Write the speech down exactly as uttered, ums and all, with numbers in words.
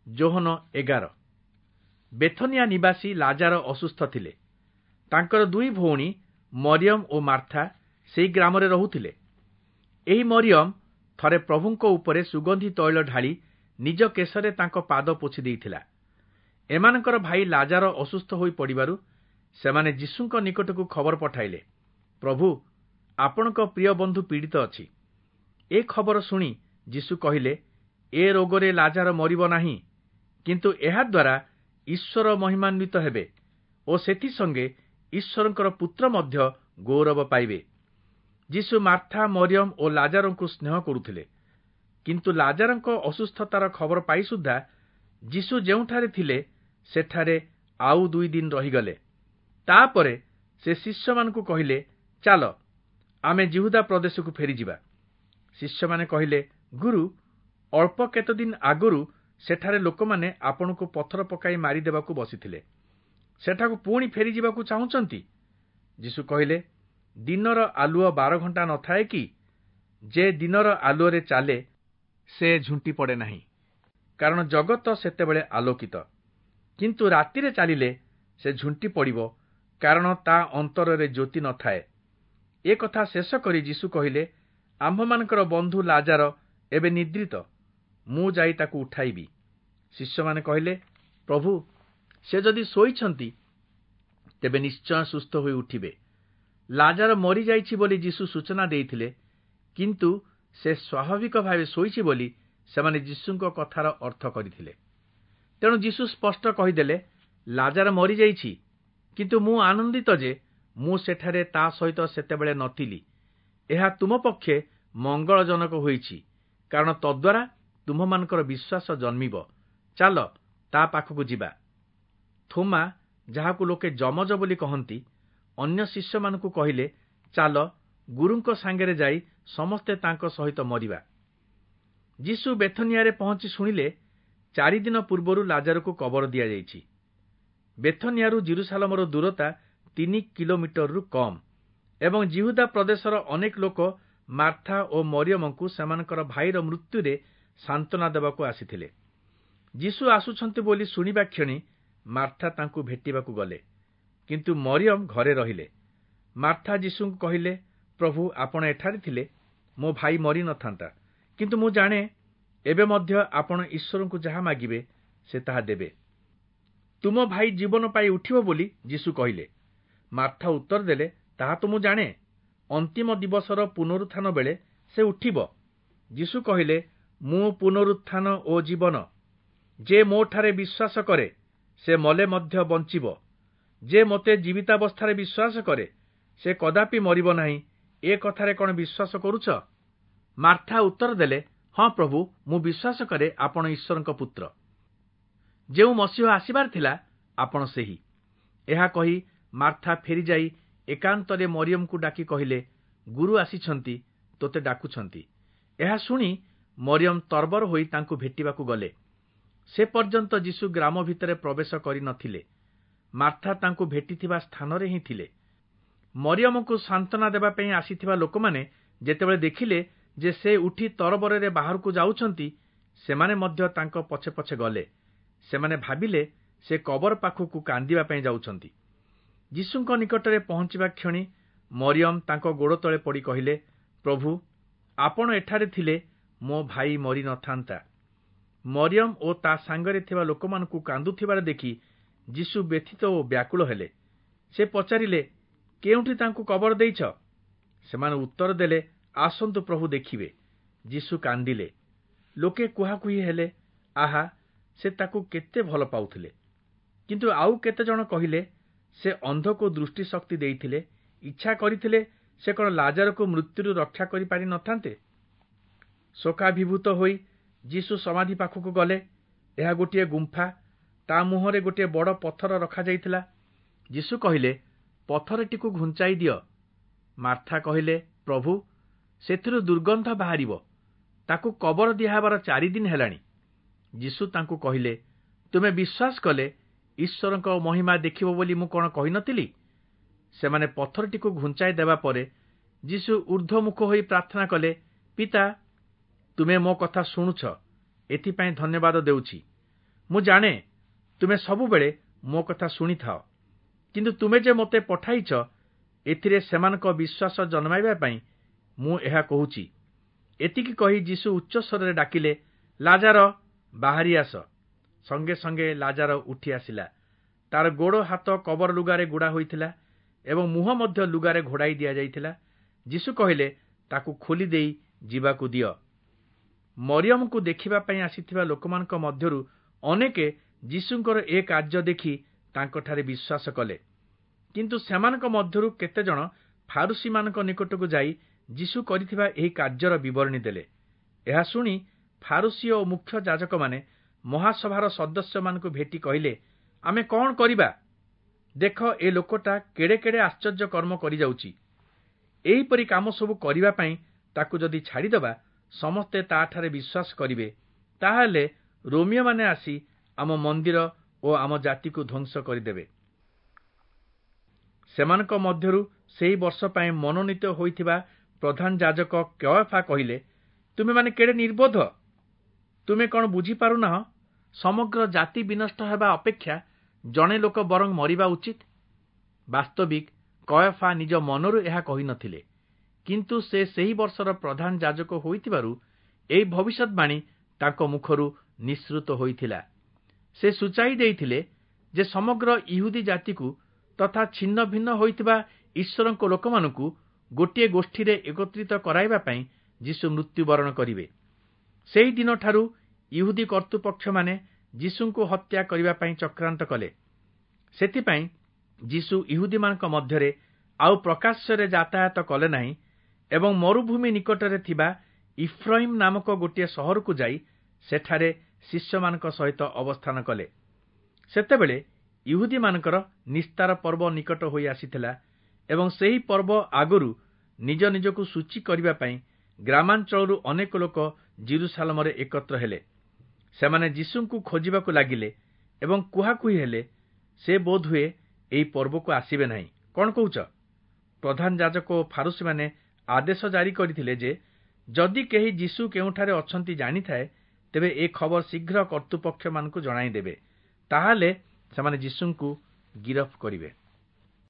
ଯୋହନ ଏଗାର। ବେଥନିଆ ନିବାସୀ ଲାଜାର ଅସୁସ୍ଥ ଥିଲେ। ତାଙ୍କର ଦୁଇ ଭଉଣୀ ମରିୟମ ଓ ମାର୍ଥା ସେହି ଗ୍ରାମରେ ରହୁଥିଲେ। ଏହି ମରିୟମ ଥରେ ପ୍ରଭୁଙ୍କ ଉପରେ ସୁଗନ୍ଧି ତୈଳ ଢାଳି ନିଜ କେଶରେ ତାଙ୍କ ପାଦ ପୋଛି ଦେଇଥିଲା। ଏମାନଙ୍କର ଭାଇ ଲାଜାର ଅସୁସ୍ଥ ହୋଇ ପଡ଼ିବାରୁ ସେମାନେ ଯୀଶୁଙ୍କ ନିକଟକୁ ଖବର ପଠାଇଲେ, ପ୍ରଭୁ, ଆପଣଙ୍କ ପ୍ରିୟ ବନ୍ଧୁ ପୀଡ଼ିତ ଅଛି। ଏ ଖବର ଶୁଣି ଯୀଶୁ କହିଲେ, ଏ ରୋଗରେ ଲାଜାର ମରିବ ନାହିଁ, କିନ୍ତୁ ଏହାଦ୍ୱାରା ଈଶ୍ୱର ମହିମାନ୍ୱିତ ହେବେ ଓ ସେଥିସଙ୍ଗେ ଈଶ୍ୱରଙ୍କର ପୁତ୍ର ମଧ୍ୟ ଗୌରବ ପାଇବେ। ଯୀଶୁ ମାର୍ଥା, ମରିୟମ ଓ ଲାଜାରଙ୍କୁ ସ୍ନେହ କରୁଥିଲେ। କିନ୍ତୁ ଲାଜାରଙ୍କ ଅସୁସ୍ଥତାର ଖବର ପାଇ ସୁଦ୍ଧା ଯୀଶୁ ଯେଉଁଠାରେ ଥିଲେ ସେଠାରେ ଆଉ ଦୁଇ ଦିନ ରହିଗଲେ। ତାପରେ ସେ ଶିଷ୍ୟମାନଙ୍କୁ କହିଲେ, ଚାଲ, ଆମେ ଯିହୁଦା ପ୍ରଦେଶକୁ ଫେରିଯିବା। ଶିଷ୍ୟମାନେ କହିଲେ, ଗୁରୁ, ଅଳ୍ପ କେତେଦିନ ଆଗରୁ ସେଠାରେ ଲୋକମାନେ ଆପଣଙ୍କୁ ପଥର ପକାଇ ମାରିଦେବାକୁ ବସିଥିଲେ, ସେଠାକୁ ପୁଣି ଫେରିଯିବାକୁ ଚାହୁଁଛନ୍ତି? ଯୀଶୁ କହିଲେ, ଦିନର ଆଲୁଅ ବାର ଘଣ୍ଟା ନଥାଏ କି? ଯେ ଦିନର ଆଲୁଅରେ ଚାଲେ ସେ ଝୁଣ୍ଟି ପଡ଼େ ନାହିଁ, କାରଣ ଜଗତ ସେତେବେଳେ ଆଲୋକିତ। କିନ୍ତୁ ରାତିରେ ଚାଲିଲେ ସେ ଝୁଣ୍ଟି ପଡ଼ିବ, କାରଣ ତା ଅନ୍ତରରେ ଜ୍ୟୋତି ନଥାଏ। ଏ କଥା ଶେଷ କରି ଯୀଶୁ କହିଲେ, ଆମ୍ଭମାନଙ୍କର ବନ୍ଧୁ ଲାଜାର ଏବେ ନିଦ୍ରିତ, ମୁଁ ଯାଇ ତାକୁ ଉଠାଇବି। ଶିଷ୍ୟମାନେ କହିଲେ, ପ୍ରଭୁ, ସେ ଯଦି ଶୋଇଛନ୍ତି ତେବେ ନିଶ୍ଚୟ ସୁସ୍ଥ ହୋଇ ଉଠିବେ। ଲାଜାର ମରିଯାଇଛି ବୋଲି ଯୀଶୁ ସୂଚନା ଦେଇଥିଲେ, କିନ୍ତୁ ସେ ସ୍ୱାଭାବିକ ଭାବେ ଶୋଇଛି ବୋଲି ସେମାନେ ଯୀଶୁଙ୍କ କଥାର ଅର୍ଥ କରିଥିଲେ। ତେଣୁ ଯୀଶୁ ସ୍ପଷ୍ଟ କହିଦେଲେ, ଲାଜାର ମରିଯାଇଛି, କିନ୍ତୁ ମୁଁ ଆନନ୍ଦିତ ଯେ ମୁଁ ସେଠାରେ ତା ସହିତ ସେତେବେଳେ ନଥିଲି। ଏହା ତୁମ ପକ୍ଷେ ମଙ୍ଗଳଜନକ ହୋଇଛି, କାରଣ ତଦ୍ୱାରା ତୁମ୍ଭମାନଙ୍କର ବିଶ୍ୱାସ ଜନ୍ମିବ। ଚାଲ, ତା ପାଖକୁ ଯିବା। ଥୋମା, ଯାହାକୁ ଲୋକେ ଯମଜ ବୋଲି କହନ୍ତି, ଅନ୍ୟ ଶିଷ୍ୟମାନଙ୍କୁ କହିଲେ, ଚାଲ, ଗୁରୁଙ୍କ ସାଙ୍ଗରେ ଯାଇ ସମସ୍ତେ ତାଙ୍କ ସହିତ ମରିବା। ଯୀଶୁ ବେଥନିଆରେ ପହଞ୍ଚି ଶୁଣିଲେ, ଚାରିଦିନ ପୂର୍ବରୁ ଲାଜାରକୁ କବର ଦିଆଯାଇଛି। ବେଥନିଆରୁ ଜିରୁସାଲମର ଦୂରତା ତିନି କିଲୋମିଟରରୁ କମ୍ ଏବଂ ଜିହୁଦା ପ୍ରଦେଶର ଅନେକ ଲୋକ ମାର୍ଥା ଓ ମରିୟମଙ୍କୁ ସେମାନଙ୍କର ଭାଇର ମୃତ୍ୟୁରେ ସାନ୍ତ୍ୱନା ଦେବାକୁ ଆସିଥିଲେ। ଯୀଶୁ ଆସୁଛନ୍ତି ବୋଲି ଶୁଣିବା କ୍ଷଣି ମାର୍ଥା ତାଙ୍କୁ ଭେଟିବାକୁ ଗଲେ, କିନ୍ତୁ ମରିୟମ ଘରେ ରହିଲେ। ମାର୍ଥା ଯୀଶୁଙ୍କୁ କହିଲେ, ପ୍ରଭୁ, ଆପଣ ଏଠାରେ ଥିଲେ ମୋ ଭାଇ ମରି ନଥାନ୍ତା। କିନ୍ତୁ ମୁଁ ଜାଣେ ଏବେ ମଧ୍ୟ ଆପଣ ଈଶ୍ୱରଙ୍କୁ ଯାହା ମାଗିବେ ସେ ତାହା ଦେବେ। ତୁମ ଭାଇ ଜୀବନ ପାଇ ଉଠିବ ବୋଲି ଯୀଶୁ କହିଲେ। ମାର୍ଥା ଉତ୍ତର ଦେଲେ, ତାହା ତ ମୁଁ ଜାଣେ, ଅନ୍ତିମ ଦିବସର ପୁନରୁତ୍ଥାନ ବେଳେ ସେ ଉଠିବ। ଯୀଶୁ କହିଲେ, ମୁଁ ପୁନରୁତ୍ଥାନ ଓ ଜୀବନ। ଯେ ମୋଠାରେ ବିଶ୍ୱାସ କରେ ସେ ମଲେ ମଧ୍ୟ ବଞ୍ଚିବ। ଯେ ମୋତେ ଜୀବିତାବସ୍ଥାରେ ବିଶ୍ୱାସ କରେ ସେ କଦାପି ମରିବ ନାହିଁ। ଏ କଥାରେ କ'ଣ ବିଶ୍ୱାସ କରୁଛ? ମାର୍ଥା ଉତ୍ତର ଦେଲେ, ହଁ ପ୍ରଭୁ, ମୁଁ ବିଶ୍ୱାସ କରେ ଆପଣ ଈଶ୍ୱରଙ୍କ ପୁତ୍ର, ଯେଉଁ ମସିହ ଆସିବାର ଥିଲା ଆପଣ ସେହି। ଏହା କହି ମାର୍ଥା ଫେରିଯାଇ ଏକାନ୍ତରେ ମରିୟମକୁ ଡାକି କହିଲେ, ଗୁରୁ ଆସିଛନ୍ତି, ତୋତେ ଡାକୁଛନ୍ତି। ଏହା ଶୁଣି ମରିୟମ ତରବର ହୋଇ ତାଙ୍କୁ ଭେଟିବାକୁ ଗଲେ। ସେ ପର୍ଯ୍ୟନ୍ତ ଯୀଶୁ ଗ୍ରାମ ଭିତରେ ପ୍ରବେଶ କରିନଥିଲେ। ମାର୍ଥା ତାଙ୍କୁ ଭେଟିଥିବା ସ୍ଥାନରେ ହିଁ ଥିଲେ। ମରିୟମକୁ ସାନ୍ତ୍ୱନା ଦେବା ପାଇଁ ଆସିଥିବା ଲୋକମାନେ ଯେତେବେଳେ ଦେଖିଲେ ଯେ ସେ ଉଠି ତରବରରେ ବାହାରକୁ ଯାଉଛନ୍ତି, ସେମାନେ ମଧ୍ୟ ତାଙ୍କ ପଛେ ପଛେ ଗଲେ। ସେମାନେ ଭାବିଲେ ସେ କବର ପାଖକୁ କାନ୍ଦିବା ପାଇଁ ଯାଉଛନ୍ତି। ଯୀଶୁଙ୍କ ନିକଟରେ ପହଞ୍ଚିବା କ୍ଷଣି ମରିୟମ ତାଙ୍କ ଗୋଡ଼ ତଳେ ପଡ଼ି କହିଲେ, ପ୍ରଭୁ, ଆପଣ ଏଠାରେ ଥିଲେ ମୋ ଭାଇ ମରି ନଥାନ୍ତା। ମରିୟମ ଓ ତା ସାଙ୍ଗରେ ଥିବା ଲୋକମାନଙ୍କୁ କାନ୍ଦୁଥିବାର ଦେଖି ଯୀଶୁ ବ୍ୟଥିତ ଓ ବ୍ୟାକୁଳ ହେଲେ। ସେ ପଚାରିଲେ, କେଉଁଠି ତାଙ୍କୁ କବର ଦେଇଛ? ସେମାନେ ଉତ୍ତର ଦେଲେ, ଆସନ୍ତୁ ପ୍ରଭୁ ଦେଖିବେ। ଯୀଶୁ କାନ୍ଦିଲେ। ଲୋକେ କୁହାକୁହି ହେଲେ, ଆହା, ସେ ତାକୁ କେତେ ଭଲ ପାଉଥିଲେ। କିନ୍ତୁ ଆଉ କେତେଜଣ କହିଲେ, ସେ ଅନ୍ଧକୁ ଦୃଷ୍ଟିଶକ୍ତି ଦେଇଥିଲେ, ଇଚ୍ଛା କରିଥିଲେ ସେ କ'ଣ ଲାଜାରକୁ ମୃତ୍ୟୁରୁ ରକ୍ଷା କରିପାରି ନଥାନ୍ତେ? ଶୋକାଭିଭୂତ ହୋଇ ଯୀଶୁ ସମାଧି ପାଖକୁ ଗଲେ। ଏହା ଗୋଟିଏ ଗୁମ୍ଫା, ତା ମୁହଁରେ ଗୋଟିଏ ବଡ଼ ପଥର ରଖାଯାଇଥିଲା। ଯୀଶୁ କହିଲେ, ପଥରଟିକୁ ଘୁଞ୍ଚାଇ ଦିଅ। ମାର୍ଥା କହିଲେ, ପ୍ରଭୁ, ସେଥିରୁ ଦୁର୍ଗନ୍ଧ ବାହାରିବ, ତାକୁ କବର ଦିଆହେବାର ଚାରିଦିନ ହେଲାଣି। ଯୀଶୁ ତାଙ୍କୁ କହିଲେ, ତୁମେ ବିଶ୍ୱାସ କଲେ ଈଶ୍ୱରଙ୍କ ମହିମା ଦେଖିବ ବୋଲି ମୁଁ କ'ଣ କହିନଥିଲି? ସେମାନେ ପଥରଟିକୁ ଘୁଞ୍ଚାଇ ଦେବା ପରେ ଯୀଶୁ ଊର୍ଦ୍ଧ୍ୱମୁଖ ହୋଇ ପ୍ରାର୍ଥନା କଲେ, ପିତା, ତୁମେ ମୋ କଥା ଶୁଣୁଛ, ଏଥିପାଇଁ ଧନ୍ୟବାଦ ଦେଉଛି। ମୁଁ ଜାଣେ ତୁମେ ସବୁବେଳେ ମୋ କଥା ଶୁଣିଥାଅ, କିନ୍ତୁ ତୁମେ ଯେ ମୋତେ ପଠାଇଛ ଏଥିରେ ସେମାନଙ୍କ ବିଶ୍ୱାସ ଜନ୍ମାଇବା ପାଇଁ ମୁଁ ଏହା କହୁଛି। ଏତିକି କହି ଯୀଶୁ ଉଚ୍ଚସ୍ୱରରେ ଡାକିଲେ, ଲାଜାର, ବାହାରି ଆସ। ସଙ୍ଗେ ସଙ୍ଗେ ଲାଜାର ଉଠି ଆସିଲା। ତାର ଗୋଡ଼ ହାତ କବର ଲୁଗାରେ ଗୁଡ଼ା ହୋଇଥିଲା ଏବଂ ମୁହଁ ମଧ୍ୟ ଲୁଗାରେ ଘୋଡ଼ାଇ ଦିଆଯାଇଥିଲା। ଯୀଶୁ କହିଲେ, ତାକୁ ଖୋଲି ଦେଇ ଯିବାକୁ ଦିଅ। ମରିୟମଙ୍କୁ ଦେଖିବା ପାଇଁ ଆସିଥିବା ଲୋକମାନଙ୍କ ମଧ୍ୟରୁ ଅନେକେ ଯୀଶୁଙ୍କର ଏ କାର୍ଯ୍ୟ ଦେଖି ତାଙ୍କଠାରେ ବିଶ୍ୱାସ କଲେ। କିନ୍ତୁ ସେମାନଙ୍କ ମଧ୍ୟରୁ କେତେଜଣ ଫାରୁଶୀମାନଙ୍କ ନିକଟକୁ ଯାଇ ଯୀଶୁ କରିଥିବା ଏହି କାର୍ଯ୍ୟର ବିବରଣୀ ଦେଲେ। ଏହା ଶୁଣି ଫାରୁଶୀ ଓ ମୁଖ୍ୟ ଯାଜକମାନେ ମହାସଭାର ସଦସ୍ୟମାନଙ୍କୁ ଭେଟି କହିଲେ, ଆମେ କଣ କରିବା? ଦେଖ, ଏ ଲୋକଟା କେଡ଼େ କେଡ଼େ ଆଶ୍ଚର୍ଯ୍ୟ କର୍ମ କରିଯାଉଛି। ଏହିପରି କାମ ସବୁ କରିବା ପାଇଁ ତାକୁ ଯଦି ଛାଡ଼ିଦେବା, ସମସ୍ତେ ତାଠାରେ ବିଶ୍ୱାସ କରିବେ। ତାହେଲେ ରୋମୀୟମାନେ ଆସି ଆମ ମନ୍ଦିର ଓ ଆମ ଜାତିକୁ ଧ୍ୱଂସ କରିଦେବେ। ସେମାନଙ୍କ ମଧ୍ୟରୁ ସେହି ବର୍ଷ ପାଇଁ ମନୋନୀତ ହୋଇଥିବା ପ୍ରଧାନ ଯାଜକ କୟଫା କହିଲେ, ତୁମେମାନେ କେଡ଼େ ନିର୍ବୋଧ! ତୁମେ କଣ ବୁଝିପାରୁନାହଁ, ସମଗ୍ର ଜାତି ବିନଷ୍ଟ ହେବା ଅପେକ୍ଷା ଜଣେ ଲୋକ ବରଂ ମରିବା ଉଚିତ? ବାସ୍ତବିକ କୟଫା ନିଜ ମନରୁ ଏହା କହିନଥିଲେ, କିନ୍ତୁ ସେ ସେହି ବର୍ଷର ପ୍ରଧାନ ଯାଜକ ହୋଇଥିବାରୁ ଏହି ଭବିଷ୍ୟତବାଣୀ ତାଙ୍କ ମୁଖରୁ ନିଃସୃତ ହୋଇଥିଲା। ସେ ସୂଚାଇ ଦେଇଥିଲେ ଯେ ସମଗ୍ର ଇହୁଦୀ ଜାତିକୁ ତଥା ଛିନ୍ନ ଭିନ୍ନ ହୋଇଥିବା ଈଶ୍ୱରଙ୍କ ଲୋକମାନଙ୍କୁ ଗୋଟିଏ ଗୋଷ୍ଠୀରେ ଏକତ୍ରିତ କରାଇବା ପାଇଁ ଯୀଶୁ ମୃତ୍ୟୁବରଣ କରିବେ। ସେହି ଦିନଠାରୁ ଇହୁଦୀ କର୍ତ୍ତୃପକ୍ଷମାନେ ଯୀଶୁଙ୍କୁ ହତ୍ୟା କରିବା ପାଇଁ ଚକ୍ରାନ୍ତ କଲେ। ସେଥିପାଇଁ ଯୀଶୁ ଇହୁଦୀମାନଙ୍କ ମଧ୍ୟରେ ଆଉ ପ୍ରକାଶ୍ୟରେ ଯାତାୟାତ କଲେ ନାହିଁ ଏବଂ ମରୁଭୂମି ନିକଟରେ ଥିବା ଇଫ୍ରଇମ୍ ନାମକ ଗୋଟିଏ ସହରକୁ ଯାଇ ସେଠାରେ ଶିଷ୍ୟମାନଙ୍କ ସହିତ ଅବସ୍ଥାନ କଲେ। ସେତେବେଳେ ଇହୁଦୀମାନଙ୍କର ନିସ୍ତାର ପର୍ବ ନିକଟ ହୋଇ ଆସିଥିଲା ଏବଂ ସେହି ପର୍ବ ଆଗରୁ ନିଜ ନିଜକୁ ସୂଚୀ କରିବା ପାଇଁ ଗ୍ରାମାଞ୍ଚଳରୁ ଅନେକ ଲୋକ ଯିରୂଶାଲମରେ ଏକତ୍ର ହେଲେ। ସେମାନେ ଯୀଶୁଙ୍କୁ ଖୋଜିବାକୁ ଲାଗିଲେ ଏବଂ କୁହାକୁହି ହେଲେ, ସେ ବୋଧହୁଏ ଏହି ପର୍ବକୁ ଆସିବେ ନାହିଁ। କଣ କହୁଛ? ପ୍ରଧାନ ଯାଜକ ଓ ଫାରୁଶୀମାନେ ଆଦେଶ ଜାରି କରିଥିଲେ ଯେ ଯଦି କେହି ଯୀଶୁ କେଉଁଠାରେ ଅଛନ୍ତି ଜାଣିଥାଏ, ତେବେ ଏ ଖବର ଶୀଘ୍ର କର୍ତ୍ତୃପକ୍ଷମାନଙ୍କୁ ଜଣାଇଦେବେ। ତାହେଲେ ସେମାନେ ଯୀଶୁଙ୍କୁ ଗିରଫ କରିବେ।